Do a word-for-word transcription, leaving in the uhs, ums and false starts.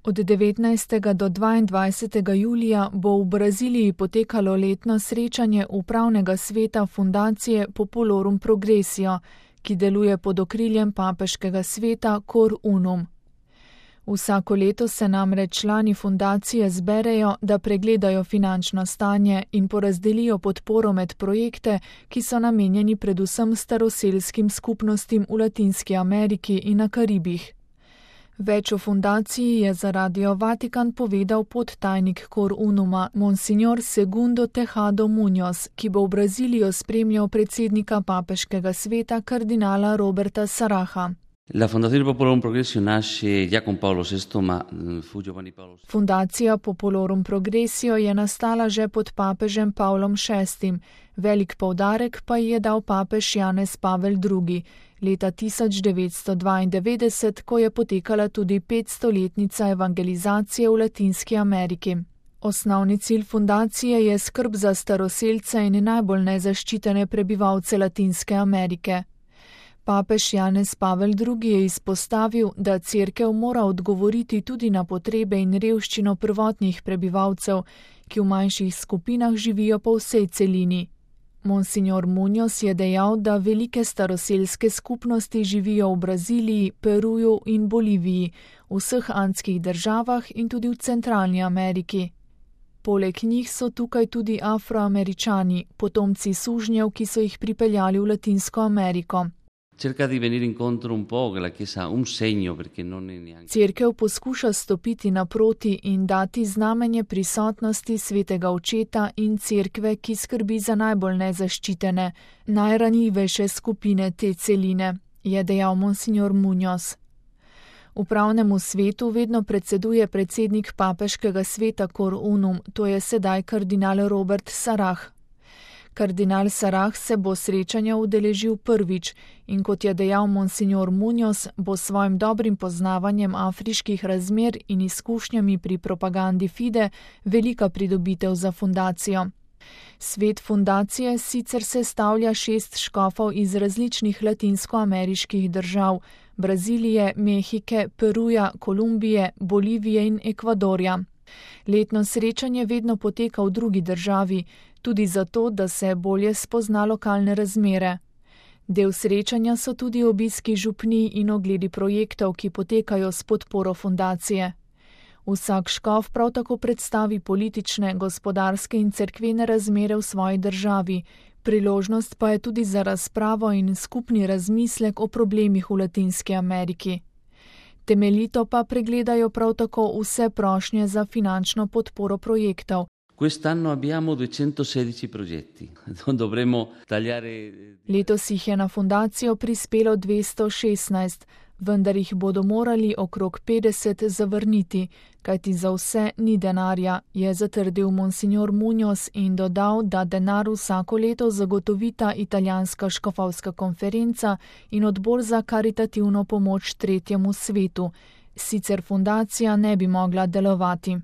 Od devetnajstega do dvaindvajsetega julija bo v Braziliji potekalo letno srečanje upravnega sveta fundacije Populorum Progressio, ki deluje pod okriljem papeškega sveta Cor Unum. Vsako leto se namreč člani fundacije zberejo, da pregledajo finančno stanje in porazdelijo podporo med projekte, ki so namenjeni predvsem staroselskim skupnostim v Latinski Ameriki in na Karibih. Več o fundaciji je za Radio Vatikan povedal podtajnik Cor Unuma, Monsignor Segundo Tejado Muñoz, ki bo v Brazilijo spremljal predsednika papeškega sveta kardinala Roberta Saraha. La Fondazione Populorum Progressio nasce già con Paolo sesto, ma fu Giovanni Paolo sesto. Fundacija Populorum Progressio je nastala že pod papežem Pavlom šestim, velik poudarek pa je dal papež Janez Pavel drugi, leta tisoč devetsto dvaindevetdeset, ko je potekala tudi petstoletnica evangelizacije v Latinski Ameriki. Osnovni cilj fundacije je skrb za staroselce in najbolj nezaščitene prebivalce Latinske Amerike. Papež Janez Pavel drugi je izpostavil, da cerkev mora odgovoriti tudi na potrebe in revščino prvotnih prebivalcev, ki v manjših skupinah živijo po vsej celini. Monsignor Muñoz je dejal, da velike staroselske skupnosti živijo v Braziliji, Peruju in Boliviji, v vseh andskih državah in tudi v Centralni Ameriki. Poleg njih so tukaj tudi Afroameričani, potomci sužnjev, ki so jih pripeljali v Latinsko Ameriko. Cerca di venire incontro un po' che la Chiesa un segno, perché non è neanche. Cerkev poskuša stopiti naproti in dati znamenje prisotnosti svetega očeta in cerkve, ki skrbi za najbolj nezaščitene, najranljivejše skupine te celine, je dejal Monsignor Muñoz. Upravnemu svetu vedno predseduje predsednik papeškega sveta Cor Unum, to je sedaj kardinal Robert Sarah. Kardinal Sarah se bo srečanja udeležil prvič in kot je dejal Monsignor Muñoz, bo svojim dobrim poznavanjem afriških razmer in izkušnjami pri propagandi Fide velika pridobitev za fundacijo. Svet fundacije sicer sestavlja šest škofov iz različnih latinskoameriških držav, Brazilije, Mehike, Peruja, Kolumbije, Bolivije in Ekvadorja. Letno srečanje vedno poteka v drugi državi, tudi zato, da se bolje spozna lokalne razmere. Del srečanja so tudi obiski župnij in ogledi projektov, ki potekajo s podporo fundacije. Vsak škof prav tako predstavi politične, gospodarske in cerkvene razmere v svoji državi, priložnost pa je tudi za razpravo in skupni razmislek o problemih v Latinski Ameriki. Temeljito pa pregledajo prav tako vse prošnje za finančno podporo projektov. Quest'anno abbiamo duecentosedici progetti. Dovremo tagliare. Letos jih je na fundacijo prispelo dvesto šestnajst, vendar jih bodo morali okrog petdeset zavrniti, kajti za vse ni denarja, je zatrdil Monsignor Muñoz in dodal, da denar vsako leto zagotovita italijanska škofovska konferenca in odbor za karitativno pomoč tretjemu svetu. Sicer fundacija ne bi mogla delovati.